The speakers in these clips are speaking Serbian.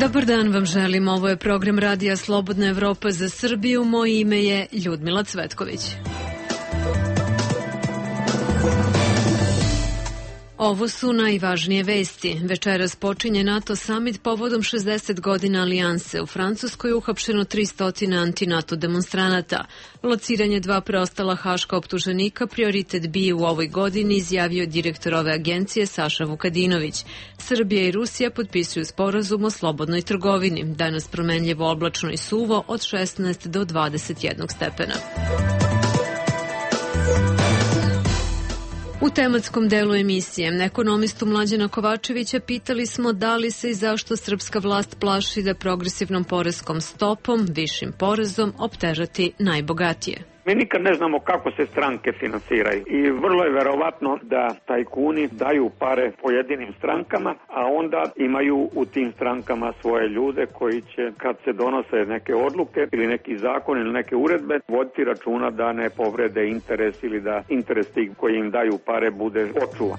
Dobar dan vam želim, ovo je program Radija Slobodna Evropa za Srbiju, moje ime je Ljudmila Cvetković. Ovo su najvažnije vesti. Večeras počinje NATO summit povodom 60 godina alijanse. U Francuskoj je uhapšeno 300 anti-NATO demonstranata. Lociranje 2 preostala haška optuženika prioritet bije u ovoj godini, izjavio direktor ove agencije Saša Vukadinović. Srbija i Rusija potpisuju sporazum o slobodnoj trgovini. Danas promenljivo oblačno i suvo od 16 do 21 stepena. U tematskom delu emisije ekonomistu Mlađana Kovačevića pitali smo da li se i zašto srpska vlast plaši da progresivnom poreskom stopom, višim porezom, optežati najbogatije. Mi nikad ne znamo kako se stranke finansiraju i vrlo je verovatno da tajkuni daju pare pojedinim strankama, a onda imaju u tim strankama svoje ljude koji će, kad se donose neke odluke ili neki zakon ili neke uredbe, voditi računa da ne povrede interes ili da interes tih koji im daju pare bude očuvan.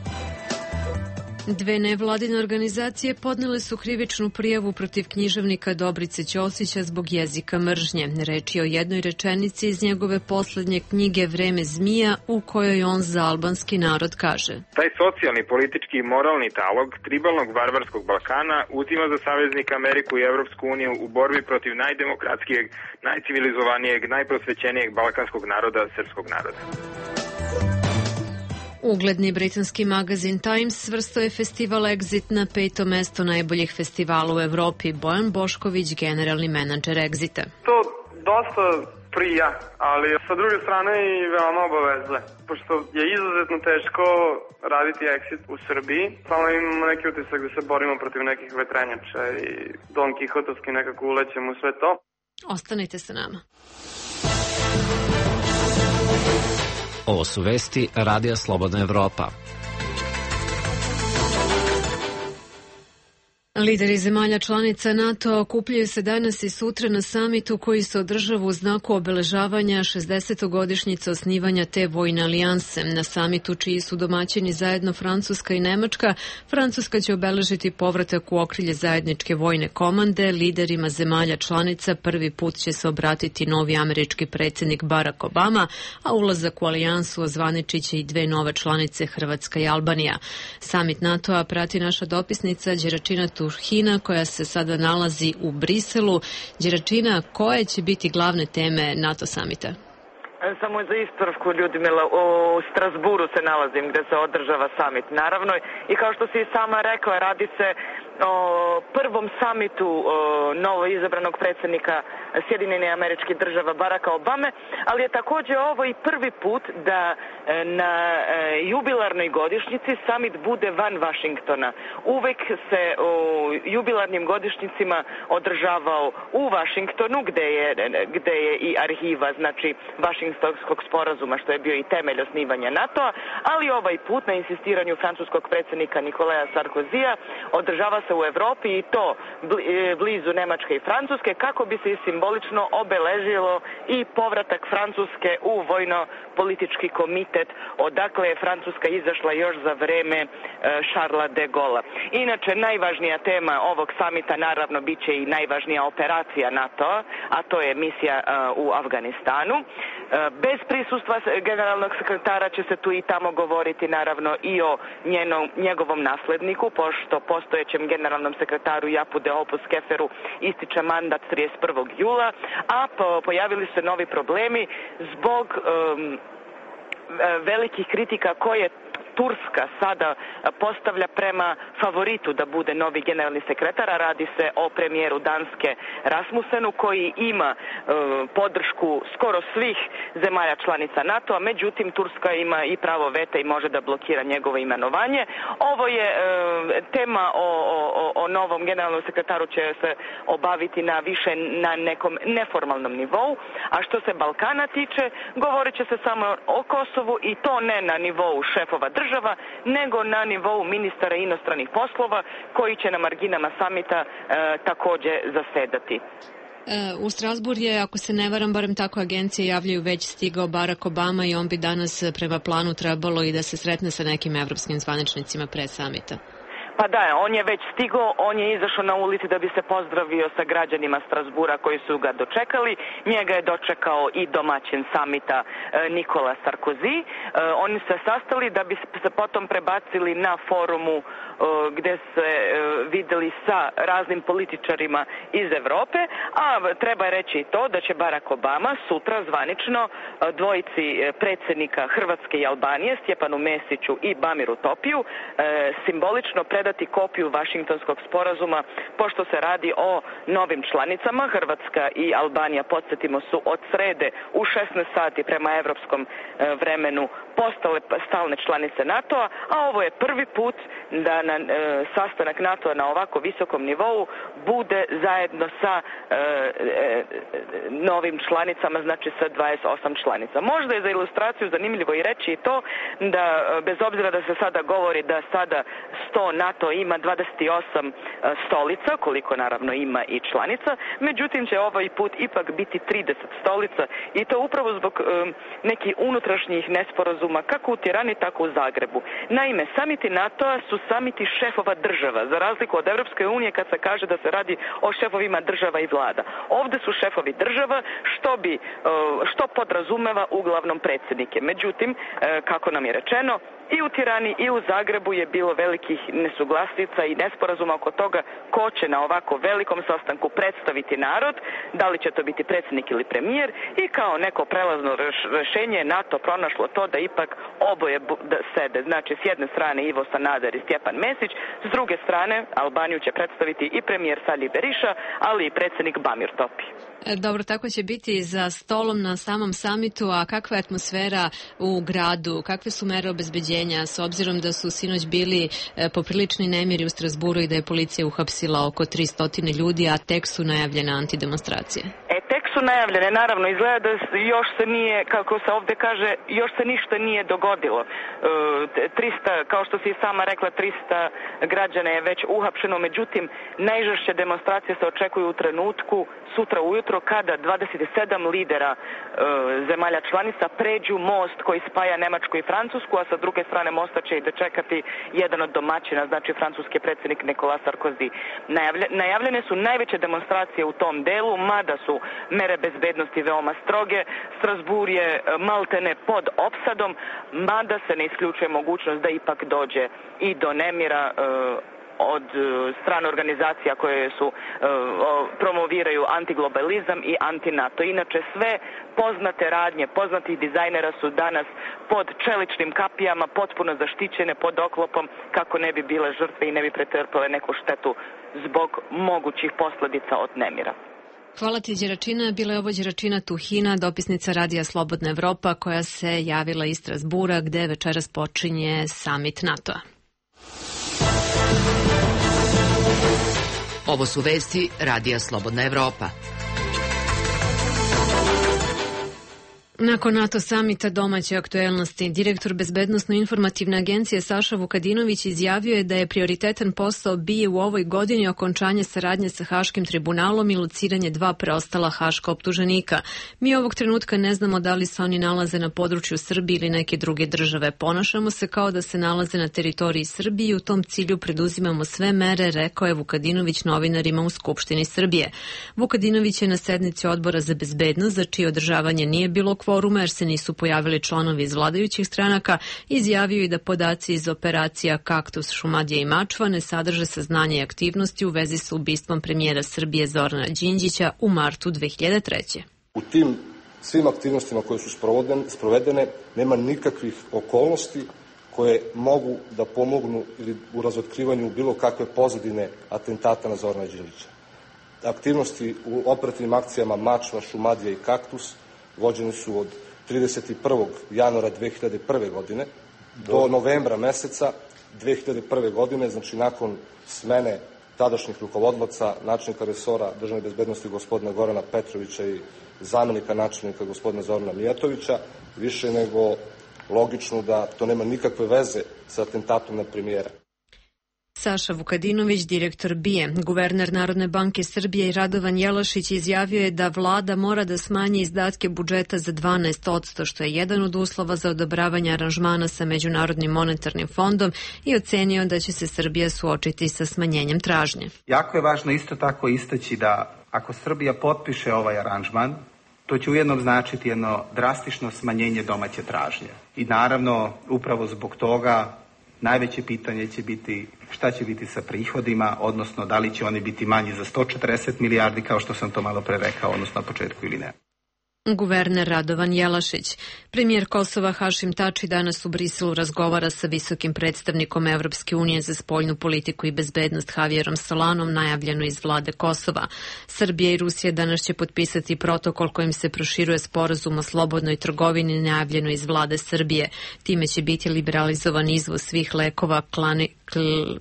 Dve nevladine organizacije podnele su krivičnu prijavu protiv književnika Dobrice Ćosića zbog jezika mržnje. Reč je o jednoj rečenici iz njegove poslednje knjige Vreme zmija, u kojoj on za albanski narod kaže: Taj socijalni, politički i moralni talog tribalnog varvarskog Balkana uzima za saveznika Ameriku i Evropsku uniju u borbi protiv najdemokratskijeg, najcivilizovanijeg, najprosvećenijeg balkanskog naroda, srpskog naroda. Ugledni britanski magazin Times svrstao je festival Exit na 5. mesto najboljih festivala u Evropi. Bojan Bošković, generalni menadžer Exita. To dosta prija, ali sa druge strane i veoma obavezle. Pošto je izuzetno teško raditi Exit u Srbiji, samo imamo neki utisak da se borimo protiv nekih vetrenjača i Don Kihotovski nekako ulećemo u sve to. Ostanite sa nama. Ovo su vesti Radija Slobodna Evropa. Lideri zemalja članica NATO okupljaju se danas i sutra na samitu koji se održava u znaku obeležavanja 60. osnivanja te vojne alijanse. Na samitu, čiji su domaćini zajedno Francuska i Nemačka, Francuska će obeležiti povratak u okrilje zajedničke vojne komande. Liderima zemalja članica prvi put će se obratiti novi američki predsjednik Barack Obama, a ulazak u alijansu ozvaničit će i dve nove članice, Hrvatska i Albanija. Samit NATO-a prati naša dopisnica Đeračina Turhina, koja se sada nalazi u Briselu. Đeračina, koje će biti glavne teme NATO samita? Samo za ispravku, Ljudmila, u Strasburu se nalazim gde se održava samit, naravno, i kao što si i sama rekla, radi se o prvom samitu novo izabranog predsjednika Sjedinjenih Američkih Država Baracka Obame, ali je također ovo i prvi put da na jubilarnoj godišnjici samit bude van Vašingtona. Uvek se u jubilarnim godišnjicima održavao u Vašingtonu, gde je i arhiva, znači Vašingtonskog sporazuma, što je bio i temelj osnivanja NATO-a, ali ovaj put na insistiranju francuskog predsjednika Nikolaja Sarkozija održava se u Evropi i to blizu Nemačke i Francuske, kako bi se simbolično obeležilo i povratak Francuske u vojno-politički komitet, odakle je Francuska izašla još za vreme Charlesa de Gaulla. Inače, najvažnija tema ovog samita naravno bit će i najvažnija operacija NATO-a, a to je misija u Afganistanu. Bez prisustva generalnog sekretara će se tu i tamo govoriti naravno i o njegovom nasledniku, pošto postojećem generalnom sekretaru Japu de Opus Keferu ističe mandat 31. jula, a pojavili su novi problemi zbog velikih kritika koje Turska sada postavlja prema favoritu da bude novi generalni sekretar, a radi se o premijeru Danske Rasmussenu, koji ima podršku skoro svih zemalja članica NATO-a, međutim Turska ima i pravo veta i može da blokira njegovo imenovanje. Ovo je tema o novom generalnom sekretaru će se obaviti na nekom neformalnom nivou, a što se Balkana tiče, govorit će se samo o Kosovu i to ne na nivou šefova država, nego na nivou ministara inostranih poslova koji će na marginama samita također zasedati. U Strasbourg je, ako se ne varam, barem tako agencije javljaju, već stigao Barack Obama i on bi danas prema planu trebalo i da se sretne sa nekim evropskim zvaničnicima pre samita. Pa da, on je već stigao, on je izašao na ulici da bi se pozdravio sa građanima Strasbura koji su ga dočekali. Njega je dočekao i domaćin samita Nikola Sarkozy. Oni se sastali da bi se potom prebacili na forumu gde se videli sa raznim političarima iz Evrope, a treba reći i to da će Barack Obama sutra zvanično dvojici predsjednika Hrvatske i Albanije, Stjepanu Mesiću i Bamiru Topiju, simbolično predati kopiju Vašingtonskog sporazuma, pošto se radi o novim članicama. Hrvatska i Albanija, podsjetimo, su od srede u 16 sati prema evropskom vremenu postale stalne članice NATO-a, a ovo je prvi put da na sastanak NATO-a na ovako visokom nivou bude zajedno sa novim članicama, znači sa 28 članica. Možda je za ilustraciju zanimljivo i reći i to da bez obzira da se sada govori da sada 100 NATO ima 28 stolica, koliko naravno ima i članica, međutim će ovaj put ipak biti 30 stolica i to upravo zbog nekih unutrašnjih nesporazuma kako u Tirani, tako u Zagrebu. Naime, samiti NATO-a su samiti šefova država, za razliku od Evropske unije kad se kaže da se radi o šefovima država i vlada. Ovdje su šefovi država, što podrazumeva uglavnom predsjednike. Međutim, kako nam je rečeno, i u Tirani i u Zagrebu je bilo velikih nesuglasica i nesporazuma oko toga ko će na ovako velikom sastanku predstaviti narod, da li će to biti predsjednik ili premijer, i kao neko prelazno rješenje NATO pronašlo to da ipak oboje sede. Znači, s jedne strane Ivo Sanader i Stjepan Mesić, s druge strane Albaniju će predstaviti i premijer Sali Berisha, ali i predsjednik Bamir Topi. Dobro, tako će biti za stolom na samom samitu, a kakva je atmosfera u gradu, kakve su mere obezbeđenja, s obzirom da su sinoć bili poprilični nemiri u Strasburu i da je policija uhapsila oko 300 ljudi, a tek su najavljene antidemonstracije? Tek su najavljene, naravno, izgleda da još se nije, kako se ovdje kaže, još se ništa nije dogodilo. 300, kao što si sama rekla, 300 građana je već uhapšeno, međutim, najžešće demonstracije se očekuju u trenutku sutra ujutro kada 27 lidera zemalja članica pređu most koji spaja Nemačku i Francusku, a sa druge strane mosta će i dočekati jedan od domaćina, znači francuski predsjednik Nikola Sarkozy. Najavljene su najveće demonstracije u tom delu, mada su mere bezbednosti veoma stroge. Strasbourg je maltene pod opsadom, mada se ne isključuje mogućnost da ipak dođe i do nemira od strane organizacija koje su promoviraju antiglobalizam i anti-NATO. Inače, sve poznate radnje, poznatih dizajnera su danas pod čeličnim kapijama, potpuno zaštićene pod oklopom kako ne bi bile žrtve i ne bi pretrpale neku štetu zbog mogućih posljedica od nemira. Hvala ti, Đeračina. Bila je ovo Đeračina Tuhina, dopisnica Radija Slobodna Evropa, koja se javila iz Strasbura, gde večeras počinje samit NATO-a. Ovo su vesti Radija Slobodna Evropa. Nakon NATO samita domaće aktuelnosti, direktor Bezbednosno-informativne agencije Saša Vukadinović izjavio je da je prioritetan posao BIA u ovoj godini okončanje saradnje sa Haškim tribunalom i lociranje 2 preostala haška optuženika. Mi ovog trenutka ne znamo da li se oni nalaze na području Srbije ili neke druge države. Ponašamo se kao da se nalaze na teritoriji Srbije i u tom cilju preduzimamo sve mere, rekao je Vukadinović novinarima u Skupštini Srbije. Vukadinović je na sednici Odbora za bezbednost, za čije održavanje nije bilo kvoruma jer se nisu pojavili članovi iz vladajućih stranaka, izjavio i da podaci iz operacija Kaktus, Šumadija i Mačva ne sadrže saznanje i aktivnosti u vezi sa ubistvom premijera Srbije Zorana Đinđića u martu 2003. U tim svim aktivnostima koje su sprovedene nema nikakvih okolnosti koje mogu da pomognu ili u razotkrivanju bilo kakve pozadine atentata na Zorana Đinđića. Aktivnosti u operativnim akcijama Mačva, Šumadija i Kaktus vođeni su od 31. januara 2001. godine do novembra meseca 2001. godine, znači nakon smene tadašnjih rukovodilaca, načelnika resora državne bezbednosti gospodina Gorana Petrovića i zamenika načelnika gospodina Zorana Mijatovića, više nego logično da to nema nikakve veze sa atentatom na premijera. Saša Vukadinović, direktor BIA. Guverner Narodne banke Srbije Radovan Jelašić izjavio je da vlada mora da smanji izdatke budžeta za 12%, što je jedan od uslova za odobravanje aranžmana sa Međunarodnim monetarnim fondom i ocenio da će se Srbija suočiti sa smanjenjem tražnje. Jako je važno isto tako istaći da ako Srbija potpiše ovaj aranžman, to će ujedno značiti jedno drastično smanjenje domaće tražnje. I naravno, upravo zbog toga najveće pitanje će biti šta će biti sa prihodima, odnosno da li će oni biti manji za 140 milijardi, kao što sam to malo pre rekao, odnosno na početku ili ne. Guverner Radovan Jelašić. Premijer Kosova Hašim Tači danas u Briselu razgovara sa visokim predstavnikom Evropske unije za spoljnu politiku i bezbednost Javierom Solanom, najavljeno iz vlade Kosova. Srbija i Rusija danas će potpisati protokol kojim se proširuje sporazum o slobodnoj trgovini, najavljeno iz vlade Srbije. Time će biti liberalizovan izvoz svih lekova,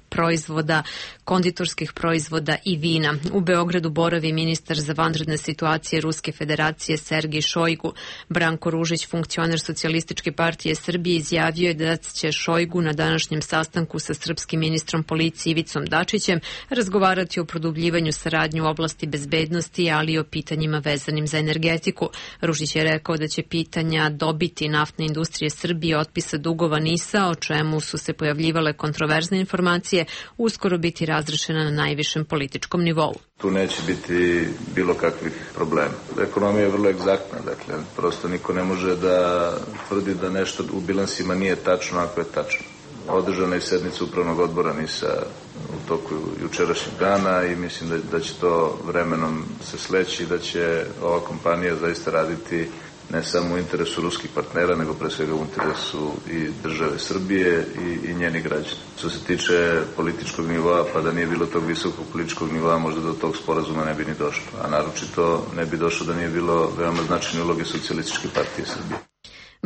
proizvoda, konditorskih proizvoda i vina. U Beogradu boravi ministar za vanredne situacije Ruske federacije Sergej Šojgu. Branko Ružić, funkcioner Socijalističke partije Srbije, izjavio je da će Šojgu na današnjem sastanku sa srpskim ministrom policije Ivicom Dačićem razgovarati o produbljivanju saradnje u oblasti bezbednosti, ali i o pitanjima vezanim za energetiku. Ružić je rekao da će pitanja dobiti naftne industrije Srbije otpisa dugova NIS-a, o čemu su se pojavljivale kontroverzne informacije, uskoro biti razrešena na najvišem političkom nivou. Tu neće biti bilo kakvih problema. Ekonomija je vrlo egzaktna, dakle, prosto niko ne može da tvrdi da nešto u bilansima nije tačno ako je tačno. Održana je sednica upravnog odbora NIS-a u toku jučerašnjeg dana i mislim da će to vremenom se sleći i da će ova kompanija zaista raditi ne samo u interesu ruskih partnera, nego pre svega u interesu i države Srbije i njeni građani. Što se tiče političkog nivoa, pa da nije bilo tog visokog političkog nivoa, možda do tog sporazuma ne bi ni došlo. A naročito ne bi došlo da nije bilo veoma značajne uloge Socijalističke partije Srbije.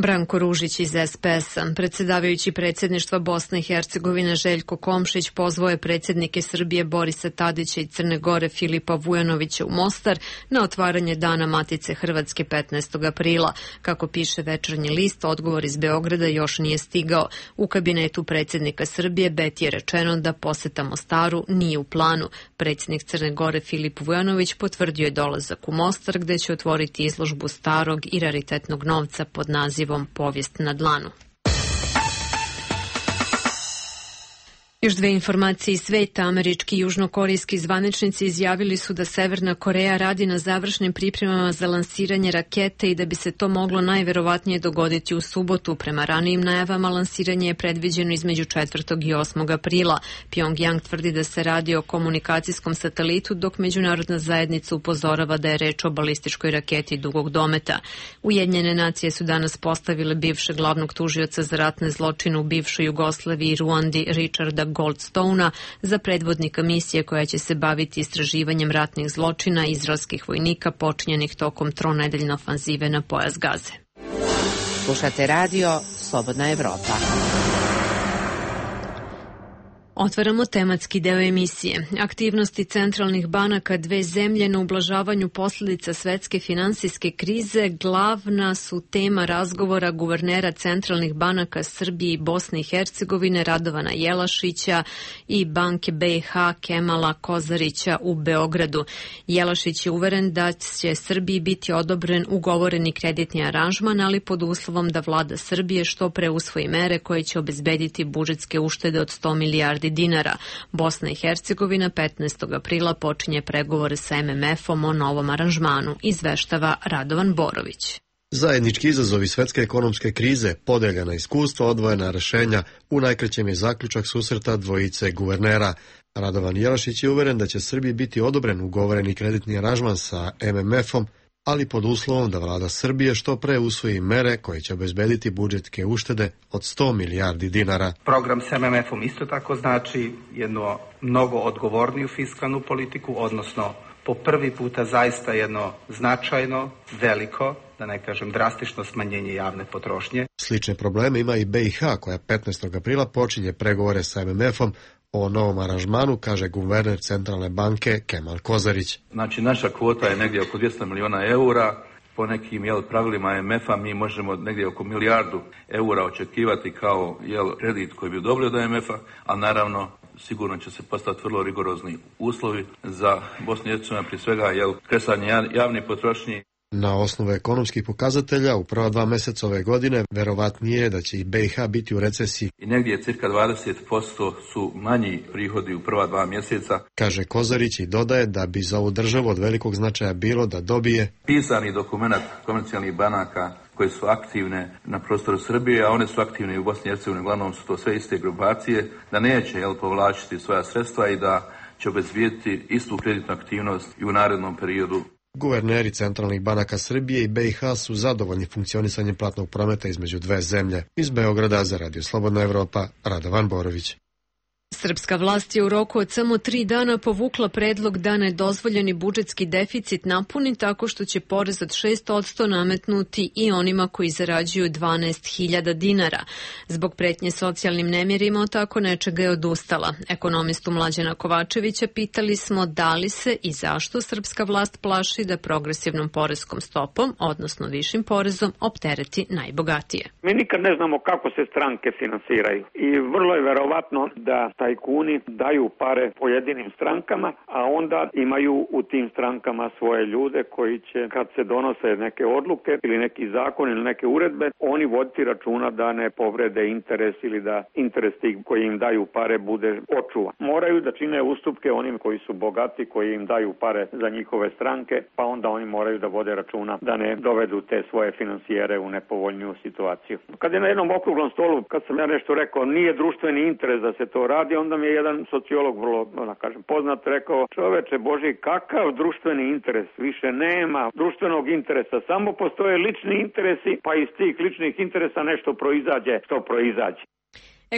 Branko Ružić iz SPS-a. Predsjedavajući predsjedništva Bosne i Hercegovine Željko Komšić pozvao je predsjednike Srbije Borisa Tadića i Crne Gore Filipa Vujanovića u Mostar na otvaranje Dana Matice Hrvatske 15. aprila. Kako piše Večernji list, odgovor iz Beograda još nije stigao. U kabinetu predsjednika Srbije Beti je rečeno da poseta Mostaru nije u planu. Predsjednik Crne Gore Filip Vujanović potvrdio je dolazak u Mostar, gde će otvoriti izložbu starog i raritetnog novca pod nazivom Povijest na dlanu. Još dve informacije iz sveta. Američki i južnokorejski zvaničnici izjavili su da Severna Koreja radi na završnim pripremama za lansiranje rakete i da bi se to moglo najverovatnije dogoditi u subotu. Prema ranijim najavama lansiranje je predviđeno između 4. i 8. aprila. Pyongyang tvrdi da se radi o komunikacijskom satelitu, dok međunarodna zajednica upozorava da je reč o balističkoj raketi dugog dometa. Ujedinjene nacije su danas postavile bivšeg glavnog tužioca za ratne zločine u bivšoj Jugoslaviji i Ruandi Richarda Goldstona za predvodnika misije koja će se baviti istraživanjem ratnih zločina izraelskih vojnika počinjenih tokom tronedeljne ofanzive na pojas Gaze. Slušate radio Slobodna Evropa. Otvaramo tematski deo emisije. Aktivnosti centralnih banaka dve zemlje na ublažavanju posljedica svetske finansijske krize glavna su tema razgovora guvernera centralnih banaka Srbije i Bosne i Hercegovine Radovana Jelašića i banke BiH Kemala Kozarića u Beogradu. Jelašić je uveren da će Srbiji biti odobren ugovoreni kreditni aranžman, ali pod uslovom da vlada Srbije što pre usvoji mere koje će obezbediti budžetske uštede od 100 milijardi dinara. Bosna i Hercegovina 15. aprila počinje pregovore sa MMF-om o novom aranžmanu, izveštava Radovan Borović. Zajednički izazovi svetske ekonomske krize, podeljena iskustva, odvojena rešenja, u najkraćem je zaključak susreta dvojice guvernera. Radovan Jelašić je uveren da će Srbiji biti odobren ugovoreni kreditni aranžman sa MMF-om, ali pod uslovom da vlada Srbije što pre usvoji mere koje će obezbediti budžetske uštede od 100 milijardi dinara. Program s MMF-om isto tako znači jedno mnogo odgovorniju fiskalnu politiku, odnosno po prvi puta zaista jedno značajno, veliko, da ne kažem drastično smanjenje javne potrošnje. Slične probleme ima i BiH koja 15. aprila počinje pregovore sa MMF-om o novom aranžmanu, kaže guverner centralne banke Kemal Kozarić. Znači, naša kvota je negdje oko 200 miliona eura, po nekim pravilima MMF-a mi možemo negdje oko milijardu eura očekivati kao kredit koji bi dobili od MMF-a, a naravno sigurno će se postaviti vrlo rigorozni uslovi za Bosnu i Hercegovinu, prije svega kresanje javne potrošnje. Na osnovu ekonomskih pokazatelja u prva 2 mjeseca ove godine verovatnije je da će i BiH biti u recesiji. I negdje cirka 20% su manji prihodi u prva 2 mjeseca. Kaže Kozarić i dodaje da bi za ovu državu od velikog značaja bilo da dobije pisani dokument komercijalnih banaka koje su aktivne na prostoru Srbije, a one su aktivne i u Bosni i Hercegovini, uglavnom su to sve iste grupacije, da neće povlačiti svoja sredstva i da će obezbijediti istu kreditnu aktivnost i u narednom periodu. Guverneri centralnih banaka Srbije i BiH su zadovoljni funkcionisanjem platnog prometa između dve zemlje. Iz Beograda za Radio Slobodna Evropa, Radovan Borović. Srpska vlast je u roku od samo 3 dana povukla predlog da nedozvoljeni budžetski deficit napuni tako što će porez od 6% nametnuti i onima koji zarađuju 12.000 dinara. Zbog pretnje socijalnim nemirima od tako nečega je odustala. Ekonomistu Mlađana Kovačevića pitali smo da li se i zašto srpska vlast plaši da progresivnom poreskom stopom, odnosno višim porezom, optereti najbogatije. Mi nikad ne znamo kako se stranke finansiraju i vrlo je verovatno da tajkuni daju pare pojedinim strankama, a onda imaju u tim strankama svoje ljude koji će, kad se donose neke odluke ili neki zakon ili neke uredbe, oni voditi računa da ne povrede interes ili da interes tih koji im daju pare bude očuvan. Moraju da čine ustupke onim koji su bogati, koji im daju pare za njihove stranke, pa onda oni moraju da vode računa da ne dovedu te svoje finansijere u nepovoljniju situaciju. Kad je na jednom okruglom stolu, kad sam ja nešto rekao, nije društveni interes da se to radi, onda mi je jedan sociolog vrlo, poznat, rekao: čoveče Boži, kakav društveni interes? Više nema društvenog interesa, samo postoje lični interesi, pa iz tih ličnih interesa nešto proizađe što proizađe.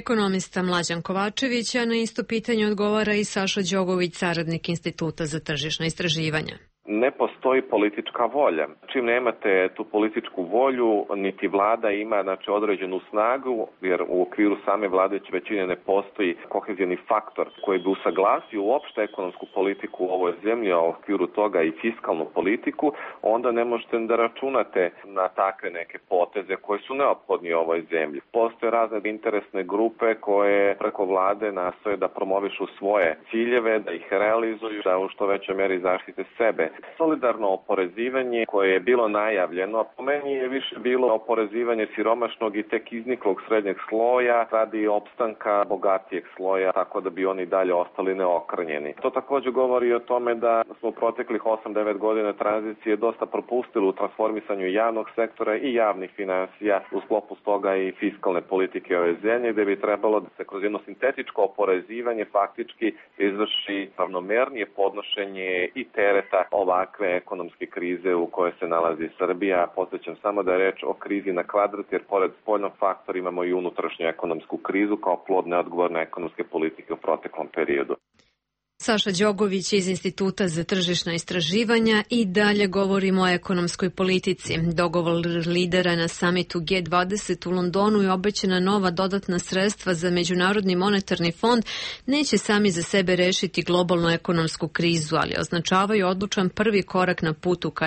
Ekonomista Mlađan Kovačević, a na isto pitanje odgovara i Saša Đogović, saradnik Instituta za tržišna istraživanja. Ne postoji politička volja. Čim nemate tu političku volju, niti vlada ima određenu snagu, jer u okviru same vladajuće većine ne postoji kohezijni faktor koji bi usaglasio uopšte ekonomsku politiku u ovoj zemlji, a u okviru toga i fiskalnu politiku, onda ne možete da računate na takve neke poteze koje su neophodni u ovoj zemlji. Postoje razne interesne grupe koje preko vlade nastoje da promovišu svoje ciljeve, da ih realizuju, da u što većoj meri zaštite sebe. Solidarno oporezivanje koje je bilo najavljeno, po meni je više bilo oporezivanje siromašnog i tek izniklog srednjeg sloja radi opstanka bogatijeg sloja, tako da bi oni dalje ostali neokrnjeni. To također govori o tome da smo u proteklih 8-9 godina tranzicije dosta propustili u transformisanju javnog sektora i javnih finansija, u sklopu toga i fiskalne politike ove zemlje, gde bi trebalo da se kroz jedno sintetičko oporezivanje faktički izvrši ravnomernije podnošenje i tereta ovakve ekonomske krize u kojoj se nalazi Srbija. Podsjećam samo da je reč o krizi na kvadrat, jer pored spoljnog faktora imamo i unutrašnju ekonomsku krizu kao plod neodgovorne ekonomske politike u proteklom periodu. Saša Đogović iz Instituta za tržišna istraživanja i dalje govorimo o ekonomskoj politici. Dogovor lidera na samitu G20 u Londonu je obećana nova dodatna sredstva za Međunarodni monetarni fond neće sami za sebe rešiti globalnu ekonomsku krizu, ali označavaju odlučan prvi korak na putu ka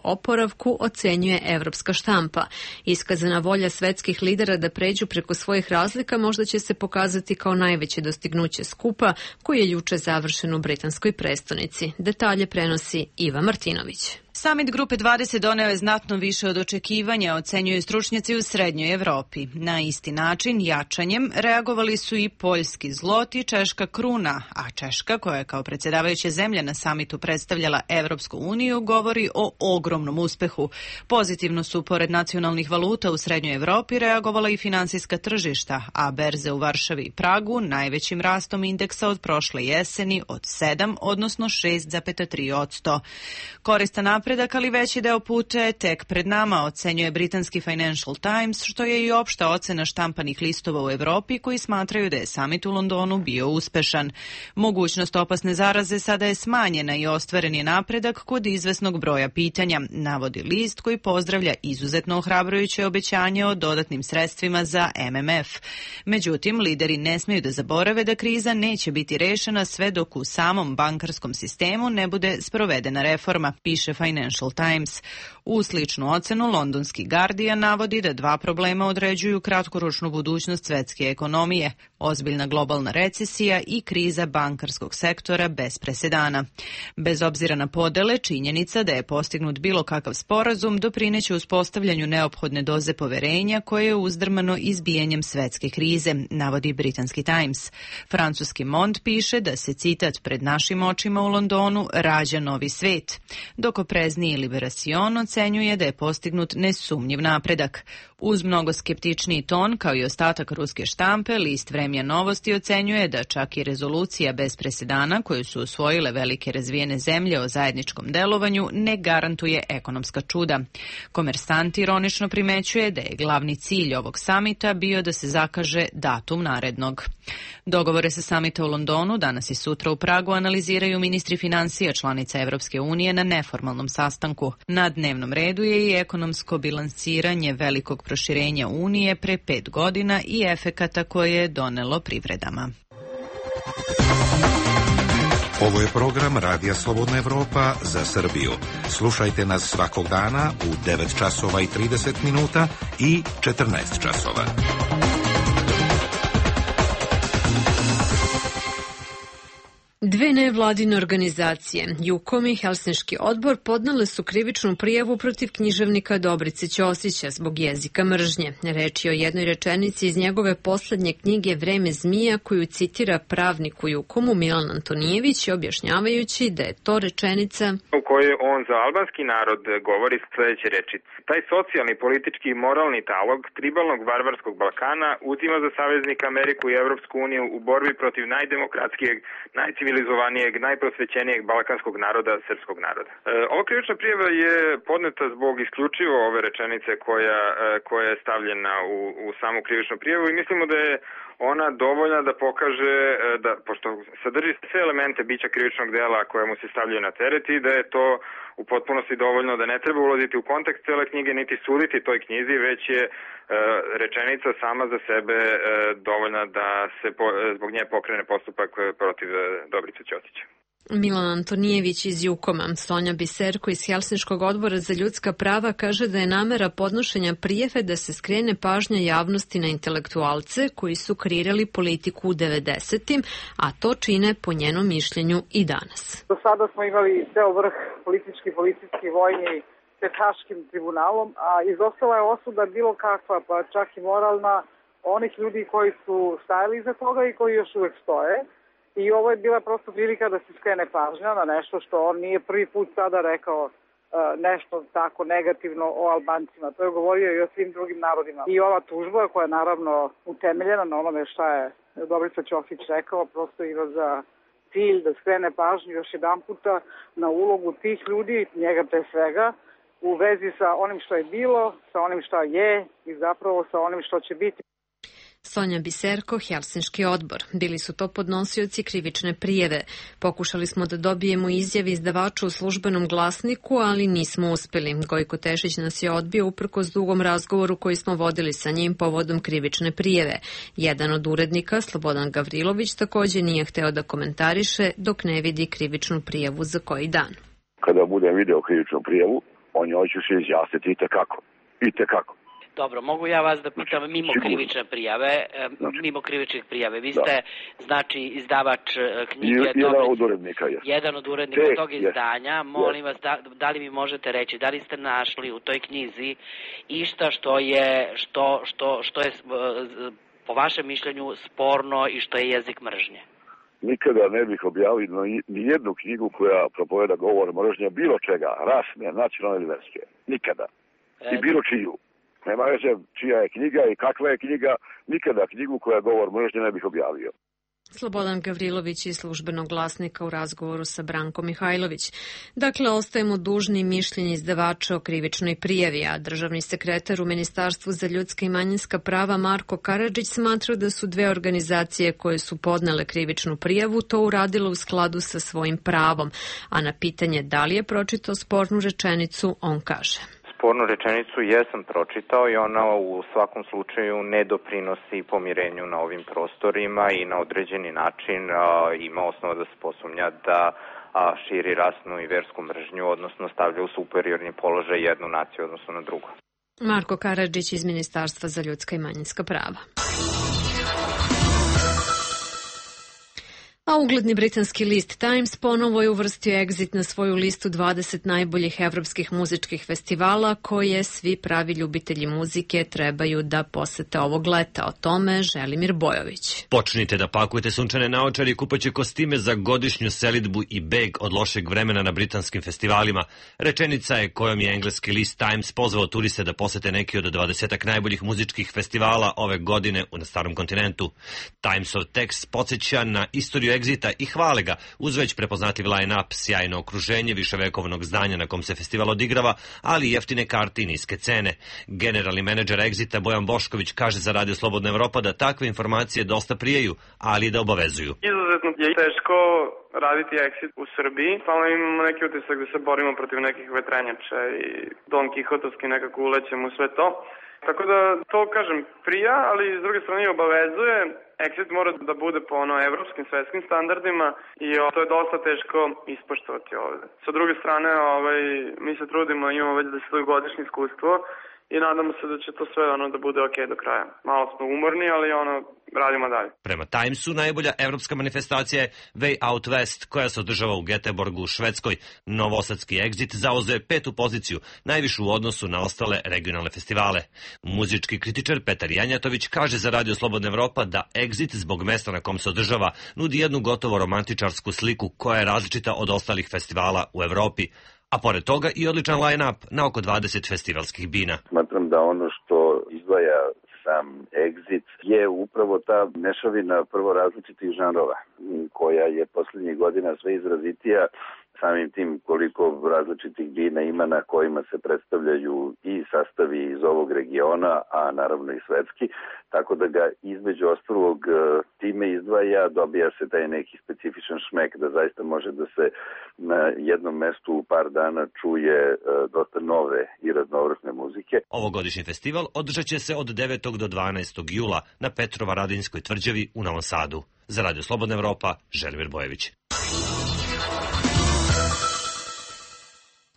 oporavku, ocenjuje evropska štampa. Iskazana volja svetskih lidera da pređu preko svojih razlika možda će se pokazati kao najveće dostignuće skupa koji je juče završen u britanskoj prestonici. Detalje prenosi Iva Martinović. Samit Grupe 20 doneo je znatno više od očekivanja, ocenjuju stručnjaci u Srednjoj Evropi. Na isti način, jačanjem, reagovali su i poljski zlot i češka kruna, a Češka, koja je kao predsjedavajuća zemlja na samitu predstavljala Evropsku uniju, govori o ogromnom uspehu. Pozitivno su, pored nacionalnih valuta u Srednjoj Evropi, reagovala i finansijska tržišta, a berze u Varšavi i Pragu najvećim rastom indeksa od prošle jeseni od 7, odnosno 6,3%. Koristan napredak, ali veći deo puta je tek pred nama, ocenjuje britanski Financial Times, što je i opšta ocena štampanih listova u Evropi koji smatraju da je samit u Londonu bio uspešan. Mogućnost opasne zaraze sada je smanjena i ostvaren je napredak kod izvesnog broja pitanja, navodi list koji pozdravlja izuzetno ohrabrujuće obećanje o dodatnim sredstvima za MMF. Međutim, lideri ne smeju da zaborave da kriza neće biti rešena sve dok u samom bankarskom sistemu ne bude sprovedena reforma, piše Financial Financial Times. U sličnu ocenu londonski Guardian navodi da dva problema određuju kratkoročnu budućnost svetske ekonomije, ozbiljna globalna recesija i kriza bankarskog sektora bez presedana. Bez obzira na podele, činjenica da je postignut bilo kakav sporazum doprineće uspostavljanju neophodne doze poverenja koje je uzdrmano izbijanjem svetske krize, navodi britanski Times. Francuski Monde piše da se, citat, pred našim očima u Londonu rađa novi svet, dok oprezniji Liberacion ocenjuje da je postignut nesumnjiv napredak. Uz mnogo skeptičniji ton, kao i ostatak ruske štampe, list Vremja Novosti ocenjuje da čak i rezolucija bez presedana koju su usvojile velike razvijene zemlje o zajedničkom delovanju ne garantuje ekonomska čuda. Komersant ironično primećuje da je glavni cilj ovog samita bio da se zakaže datum narednog. Dogovore sa samita u Londonu danas i sutra u Pragu analiziraju ministri finansija članica Evropske unije na neformalnom sastanku. Na dnevnom redu je i ekonomsko bilansiranje velikog proširenja Unije pre 5 godina i efekata koje je donelo privredama. Ovo je program Radija Slobodna Evropa za Srbiju. Slušajte nas svakog dana u 9 časova i 30 minuta i 14 časova. Dve nevladine organizacije, Jukom i Helsinški odbor, podnele su krivičnu prijavu protiv književnika Dobrice Ćosića zbog jezika mržnje. Reč je o jednoj rečenici iz njegove poslednje knjige Vreme zmija, koju citira pravnik u Jukomu Milan Antonijević, objašnjavajući da je to rečenica u kojoj on za albanski narod govori sledeće rečice. Taj socijalni, politički i moralni talog tribalnog varvarskog Balkana uzima za saveznika Ameriku i Evropsku uniju u borbi protiv najdemokratskijeg, najcivilizovanijeg, najprosvećenijeg balkanskog naroda, srpskog naroda. Ova krivična prijava je podneta zbog isključivo ove rečenice koja je stavljena u samu krivičnu prijavu i mislimo da je ona dovoljna da pokaže, da, pošto sadrži sve elemente bića krivičnog dela koje mu se stavljaju na teret i da je to u potpunosti dovoljno, da ne treba ulaziti u kontekst cele knjige niti suditi toj knjizi, već je rečenica sama za sebe dovoljna da se zbog nje pokrene postupak protiv Dobrice Ćosića. Milan Antonijević iz Jukoma. Sonja Biserko iz Helsinškog odbora za ljudska prava kaže da je namera podnošenja prijave da se skrene pažnja javnosti na intelektualce koji su kreirali politiku u 90-im, a to čine po njenom mišljenju i danas. Do sada smo imali ceo vrh politički, vojni pred Haškim tribunalom, a izostala je osuda bilo kakva, pa čak i moralna, onih ljudi koji su stajali iza toga i koji još uvek stoje. I ovo je bila prosto prilika da se skrene pažnja na nešto što on nije prvi put sada rekao nešto tako negativno o Albancima. To je govorio i o svim drugim narodima. I ova tužba koja je naravno utemeljena na onome šta je Dobrica Ćosić rekao, prosto ima za cilj da skrene pažnju još jedan puta na ulogu tih ljudi, njega pre svega, u vezi sa onim što je bilo, sa onim što je i zapravo sa onim što će biti. Sonja Biserko, Helsinški odbor. Bili su to podnosioci krivične prijeve. Pokušali smo da dobijemo izjave izdavača u službenom glasniku, ali nismo uspeli. Gojko Tešić nas je odbio uprkos dugom razgovoru koji smo vodili sa njim povodom krivične prijeve. Jedan od urednika, Slobodan Gavrilović, takođe nije hteo da komentariše dok ne vidi krivičnu prijavu za koji dan. Kada budem video krivičnu prijavu, on njoj ću se izjasniti i tekako. Dobro, mogu ja vas da pitam mimo krivične prijave, vi ste, znači, izdavač knjige... Jedan od urednika, jes. Jedan od urednika tog izdanja, molim vas, da li mi možete reći, da li ste našli u toj knjizi išta što je po vašem mišljenju sporno i što je jezik mržnje? Nikada ne bih objavio ni jednu knjigu koja propoveda govor mržnje, bilo čega, rasne, nacionalne ili verske. Nikada. I bilo čiju. Nema veze čija je knjiga i kakva je knjiga, nikada knjigu koja govor mržnje ne bih objavio. Slobodan Gavrilović iz službenog glasnika u razgovoru sa Brankom Mihajlović. Dakle, ostajemo dužni mišljenje izdavača o krivičnoj prijavi, a državni sekretar u Ministarstvu za ljudska i manjinska prava Marko Karadžić smatra da su dve organizacije koje su podnele krivičnu prijavu to uradile u skladu sa svojim pravom, a na pitanje da li je pročitao spornu rečenicu, on kaže. spornu rečenicu jesam pročitao i ona u svakom slučaju ne doprinosi pomirenju na ovim prostorima i na određeni način ima osnova da se posumnja da širi rasnu i versku mržnju, odnosno stavlja u superiorni položaj jednu naciju odnosno na drugu. Marko Karadžić iz Ministarstva za ljudska i manjinska prava. A ugledni britanski list Times ponovo je uvrstio Exit na svoju listu 20 najboljih evropskih muzičkih festivala koje svi pravi ljubitelji muzike trebaju da posete ovog leta. O tome Želimir Bojović. Počnite da pakujete sunčane naočare i kupaće kostime za godišnju selidbu i beg od lošeg vremena na britanskim festivalima. Rečenica je kojom je engleski list Times pozvao turiste da posete neki od 20 najboljih muzičkih festivala ove godine na starom kontinentu. Timesov tekst podsjeća na istoriju Exita i hvale ga uz već prepoznatljiv line-up, sjajno okruženje viševekovnog zdanja na kom se festival odigrava, ali i jeftine karte i niske cene. Generalni menadžer Exita Bojan Bošković kaže za Radio Slobodna Evropa da takve informacije dosta prijeju, ali da obavezuju. Izuzetno je teško raditi Exit u Srbiji. Stalno imamo neki utisak da se borimo protiv nekih vetrenjača i Don Kihotovski nekako ulećemo u sve to. Tako da to, kažem, prija, ali s druge strane obavezuje. Exit mora da bude po evropskim svetskim standardima i to je dosta teško ispoštovati ovde. Sa druge strane, mi se trudimo, imamo već 10-godišnje iskustvo i nadamo se da će to sve da bude ok do kraja. Malo smo umorni, ali radimo dalje. Prema Timesu najbolja evropska manifestacija je Way Out West, koja se održava u Göteborgu u Švedskoj. Novosadski Exit zauzeo 5. poziciju, najvišu u odnosu na ostale regionalne festivale. Muzički kritičar Petar Janjatović kaže za Radio Slobodna Evropa da Exit zbog mesta na kom se održava nudi jednu gotovo romantičarsku sliku koja je različita od ostalih festivala u Evropi. A pored toga i odličan line-up na oko 20 festivalskih bina. Smatram da ono što izdvaja sam Exit je upravo ta mešavina prvo različitih žanrova koja je poslednjih godina sve izrazitija, samim tim koliko različitih bina ima na kojima se predstavljaju i sastavi iz ovog regiona, a naravno i svetski, tako da ga između ostalog time izdvaja, dobija se taj neki specifičan šmek da zaista može da se na jednom mestu u par dana čuje dosta nove i raznovrsne muzike. Ovogodišnji festival održat će se od 9. do 12. jula na Petrovaradinskoj tvrđavi u Novom Sadu. Za Radio Slobodna Evropa, Želimir Bojević.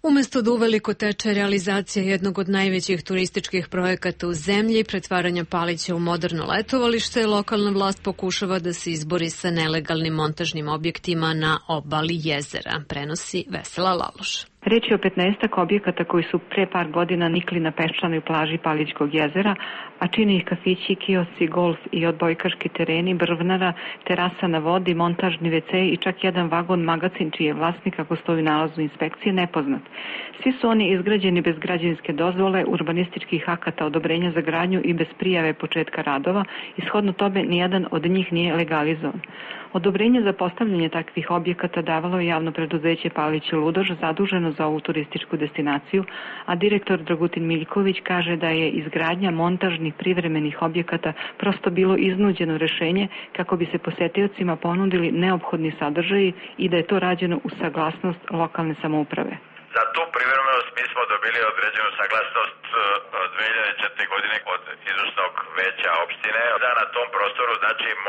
Umesto da uveliko teče realizacija jednog od najvećih turističkih projekata u zemlji, pretvaranja Palića u moderno letovalište, lokalna vlast pokušava da se izbori sa nelegalnim montažnim objektima na obali jezera, prenosi Vesela Laloš. Reč je o 15 objekata koji su pre par godina nikli na peščanoj plaži Palićkog jezera, a čini ih kafići, kiosci, golf i odbojkaški tereni, brvnara, terasa na vodi, montažni WC i čak jedan vagon magacin čiji je vlasnik, ako stoji u nalazu inspekcije, nepoznat. Svi su oni izgrađeni bez građevinske dozvole, urbanističkih akata, odobrenja za gradnju i bez prijave početka radova i shodno tome nijedan od njih nije legalizovan. Odobrenje za postavljanje takvih objekata davalo je javno preduzeće Palić i Ludoš zaduženo za ovu turističku destinaciju, a direktor Dragutin Miljković kaže da je izgradnja montažnih privremenih objekata prosto bilo iznuđeno rešenje kako bi se posetiocima ponudili neophodni sadržaji i da je to rađeno uz saglasnost lokalne samouprave. Za tu privremenost mi smo dobili određenu saglasnost 2004. godine od izvršnog veća opštine da na tom prostoru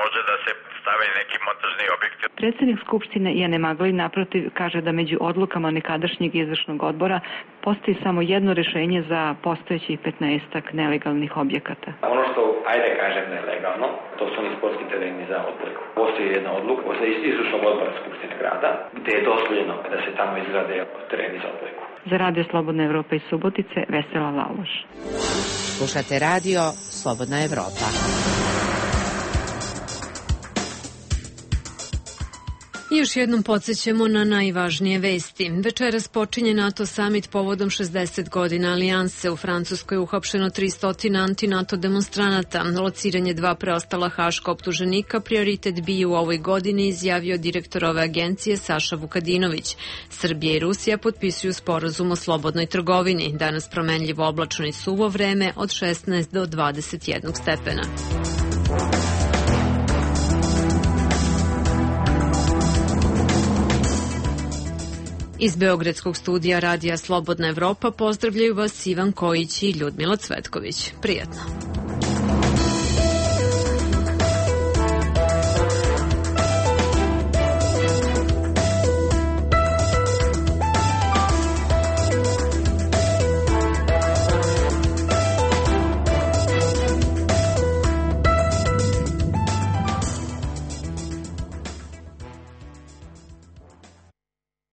može da se stave neki montažni objekti. Predsednik Skupštine Jane Maglin naprotiv kaže da među odlukama nekadašnjeg izvršnog odbora postoji samo jedno rešenje za postojećih 15 nelegalnih objekata. Ono što, ajde kažem, nelegalno, to su oni sportski tereni za odbojku. Postoji jedna odluka od izvršnog odbora Skupštine grada gde je dozvoljeno da se tamo izgrade tereni za odbojku. Za Radio Slobodna Evropa iz Subotice, Vesela Laloš. Slušate Radio Slobodna Evropa. I još jednom podsjećamo na najvažnije vesti. Večeras počinje NATO summit povodom 60 godina alijanse. U Francuskoj je uhapšeno 300 anti-NATO demonstranata. Lociranje 2 preostala haška optuženika prioritet bi u ovoj godini, izjavio direktor ove agencije Saša Vukadinović. Srbija i Rusija potpisuju sporazum o slobodnoj trgovini. Danas promenljivo oblačno i suvo vreme od 16 do 21 stepena. Iz Beogradskog studija Radija Slobodna Evropa pozdravljaju vas Ivan Kojić i Ljudmila Cvetković. Prijatno.